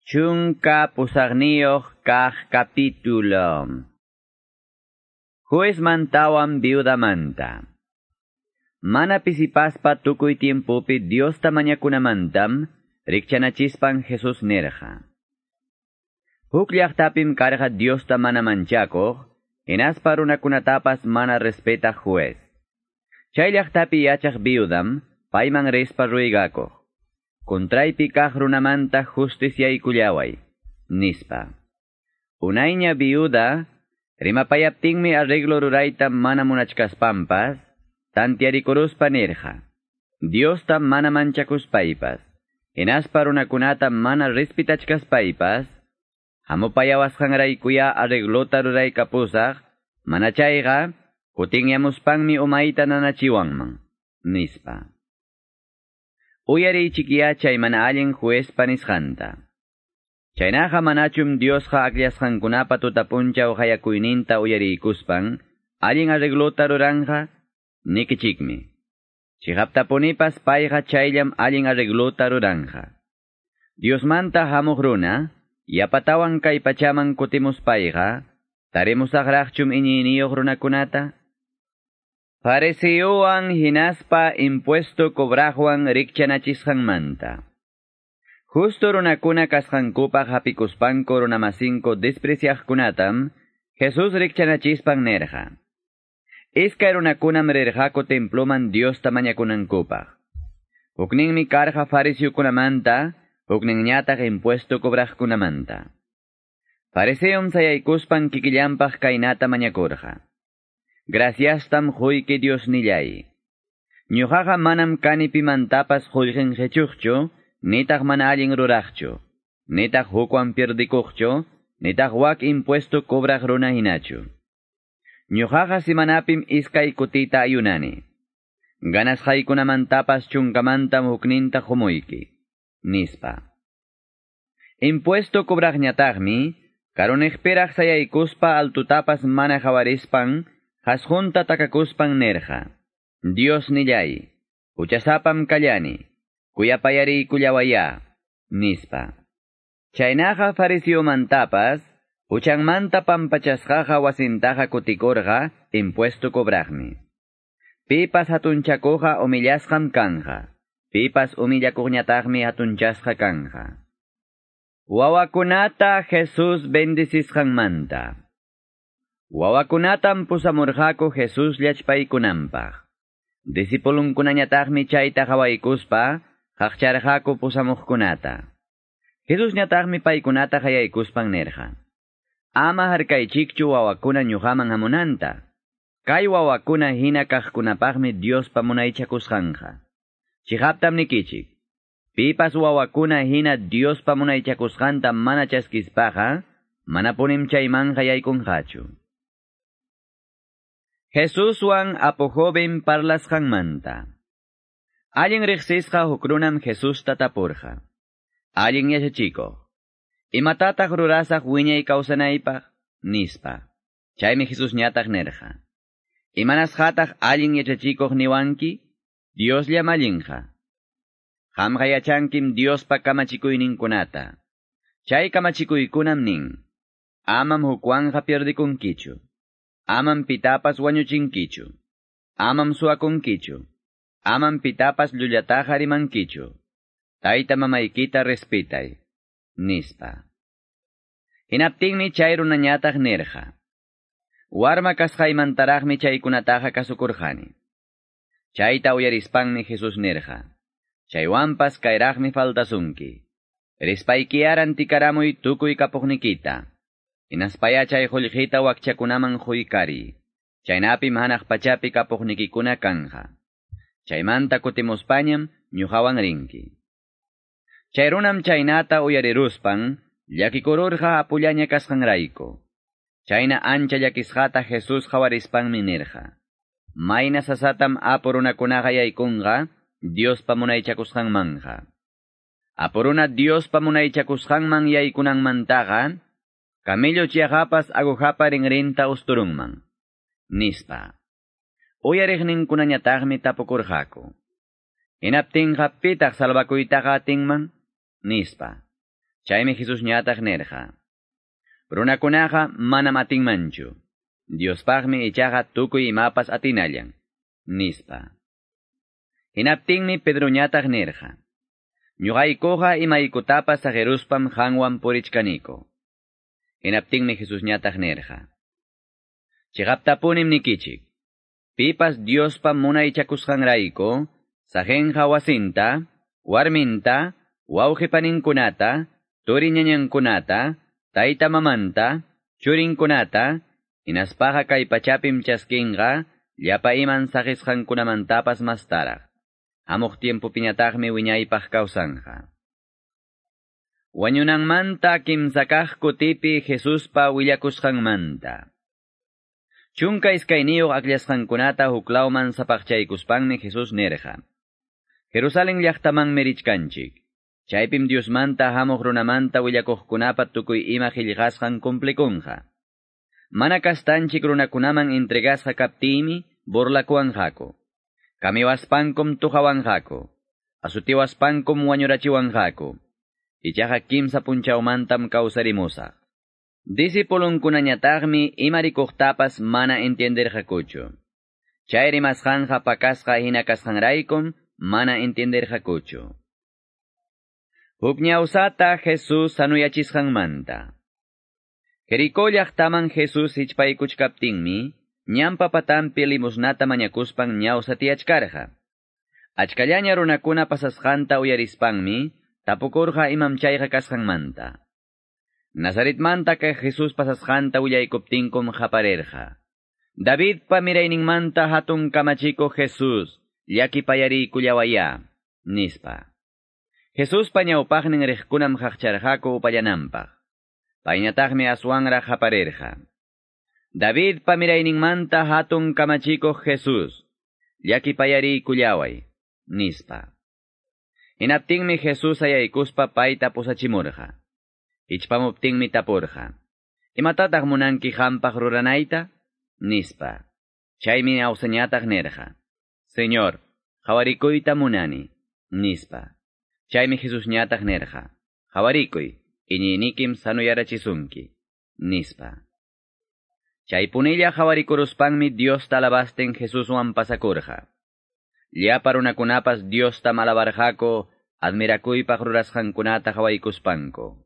18 kaq capítulo. Juezmantawan viudamanta. Mana pisipaspa tukuy tiempopi Diosta mañakunamantam rikchanachispan Jesús nerja. Huk llaqtapim karqa Diosta mana manchakuq, hinaspa runakunatapas mana respetaq juez. Chay llaqtapi yachaq viudam payman rispa ruigakuq. Contraypi kaq runamanta justiciaykullaway, nispa. Unayña viuda, rimapayaptinmi arreglo rurayta mana munachkaspampas, tantiarikuruspa nirqa. Diosta mana manchakuspaypas, hinaspa runakunata mana respitachkaspaypas, hamupayawasqanraykuya arreglota ruraykapusaq, mana chayqa, kutinyamuspanmi umayta nanachiwanman, nispa. Uyariychikiya chay mana allin juezpa nisqanta. Chaynaqa manachum Diosqa akllashqankunapa tutapunchaw qayakuyninta uyariykuspan, allin arreglota ruranqa, nikichikmi. Chiqaptapunipas payqa chayllam allin arreglota ruranqa. Diosmanta hamuq runa, yapatawan kay pachaman kutimuspayqa, tarimusaqraqchum iñiyniyuq runakunata? Fariseowan hinaspa impuesto cobraqwan rikchanachisqanmanta. Justo runakuna kasqankupaq hapikuspanku runamasinko despreciaqkunatam, Jesús rikchanachispan nerqa. Iskay runakunam rirqaku temploman Diosta mañakunankupaq. Hukninmi karqa fariseokunamanta, hukninñataq impuesto cobraqkunamanta. Fariseom sayaykuspan kikillanpaq kaynata mañakurqa. Graciastam quyki Diosnillay. Ñuqaqa manam kani pimantapas qullqin qichuqchu, nitaq mana allin ruraqchu, nitaq hukwan pierdikuqchu, nitaq wak impuesto cobraq runa hinachu. Ñuqaqa simanapim iskay kutita ayunani. Ganasqaykunamantapas chunkamantam hukninta qumuyki, nispa. Impuesto cobraqñataqmi, karuniqpiraq sayaykuspa altutapas mana qawarispan, Hasqunta takakuspan nerja. Dios nillay, huchasapam kallani, kuyapayariykullawaya, nispa. Chaynaqa fariseomantapas, huchanmanta pampachasqaqa wasintaqa kutikurqa impuesto cobraqmi. Pipas hatunchakuqqa humillasqam kanja, pipas humillakuqñataqmi hatunchasqa kanja. Wawakunata Jesús bendecisqanmanta. Wawakunatam pusamurqaku Jesús llachpaykunanpaq. Discipulunkunañataqmi chayta qhawaykuspa, qaqcharqaku pusamuqkunata. Jesusñataqmi paykunata qayaykuspan nirqa. Ama harkaychikchu wawakuna ñuqaman hamunanta. Kay wawakuna hina kaqkunapaqmi Diospa munaychakusqanqa. Chiqaptam nikichik. Pipas wawakuna hina Diospa munaychakusqanta mana chaskispaqa, manapunim chaymanqa yaykunqachu. Jesuswan apu joven parlasqanmanta. Allin riqsisqa huk runam Jesusta tapurqa. Allin yachachikuq. Imatataq rurasaq wiñay kawsanaypaq? Nispa. Chaymi Jesusñataq nirqa. Imanasqataq allin yachachikuq niwanki? Diosllam allinqa. Qamqa yachankim Diospa kamachikuyninkunata. Chay kamachikuykunam nin. Amam hukwanqa pierdikunkichu. Amam pitapas wañuchinkichu. Amam suwakunkichu. Amam pitapas llullataqa rimankichu. Tayta mamaykita respetay. Nispa. Hinaptinmi chay runañataq nirqa. Warma kasqaymantaraqmi chaykunataqa kasukurqani. Chayta uyarispanmi Jesús nirqa. Chaywanpas kayraqmi faltasunki. Rispayki rantikaramuy tukuy kapuqnikita. Hinaspaya chay qullqita wakchakunaman quykari. Chaynapim hanaq pachapi kapuqnikikuna kanja. Chaymanta kutimuspañam ñuqawan rinki. Chay runam chaynata uyariruspan, llakikururqa apullaña kasqanrayku. Chayna ancha llakisqata Jesús qawarispanmi nirqa. Mayna sasatam apu runakunaqa yaykunqa, Diospa munaychakusqanmanja. Apu runa Diospa munaychakusqanman yaykunanmantaqa, camello chiaqapas agujapa rinrinta usturunman. Nispa. Uyariqninkunañataqmi tapukurqaku. Hinaptinqa pitaq salvakuytaqa atinman? Nispa. Chaymi Jesusñataq nirqa: Runakunaqa manam atinmanchu. Diospaqmi ichaqa tukuy imapas atinallan, nispa. Hinaptinmi Pedroñataq nirqa: Ñuqaykuqa imaykutapas saqeruspam qanwan purichkaniko. Hinaptinmi Jesusñataq nirqa: Chiqaptapunim nikichik. Pipas Diospa munaychakusqanrayku, saqenqa wasinta, warminta, wawqipaninkunata, turi ñañankunata, tayta mamanta, churinkunata, hinaspaqa kay pachapim chaskinqa, llapa iman saqisqankunamantapas mastaraq. Hamuq tiempopiñataqmi wiñaypaq kawsanqa. Wañunanmanta kimsakaq kutipi Jesuspa willakusqanmanta. 12 akllasqankunata huklawman sapaqchaykuspanmi Jesús nirqa: Jerusalén llaqtamanmi richkanchik. Chaypim Diosmanta hamuq runamanta willakuqkunapa tukuy ima qillqasqan cumplikunqa. Mana kastanchik runakunaman entregasqa kaptiymi burlakuwanqaku. Kamiwaspankum tuqawanqaku. Asutiwaspankum wañurachiwanqaku. Ichaqa 3 punchawmantam kawsarimusaq. Discipulunkunañataqmi ima rikuqtapas mana entienderqakuchu. Chay rimasqanqa pakasqa hina kasqanraykum mana entienderqakuchu. Huk ñawsata Jesús sanuyachisqanmanta. Jericó llaqtaman Jesús hichpaykuchkaptinmi, ñanpa patanpi limosnata mañakuspan ñawsa tiyachkarqa. Achkallaña runakuna pasasqanta uyarispanmi, tapukurqa imam chayqa kasqanmanta. Nazaretmanta kay Jesús pasasqanta willaykuptinkum qaparirqa: Davidpa mirayninmanta hatun kamachikuq Jesús, llakipayariykullawayá, nispa. Jesuspa ñawpaqnin riqkunam qaqcharqaku upallananpaq. Payñataqmi aswanraq qaparirqa: Davidpa mirayninmanta hatun kamachikuq Jesús, llakipayariykullaway, nispa. Hinaptinmi Jesús sayaykuspa payta pusachimurqa. Hichpamuptinmi tapurqa: Imatataq munanki qampaq ruranayta? Nispa. Chaymi ñawsañataq nirqa: Señor, qawarikuyta munani, nispa. Chaymi Jesusñataq nirqa: Qawarikuy, iñiynikim sanuyarachisunki, nispa. Chaypunilla qawarikuruspanmi Diosta alabastin Jesuswan pasakurqa. Llapa runakunapas Diosta alabarqaku admirakuypaq rurasqankunata qawaykuspanku.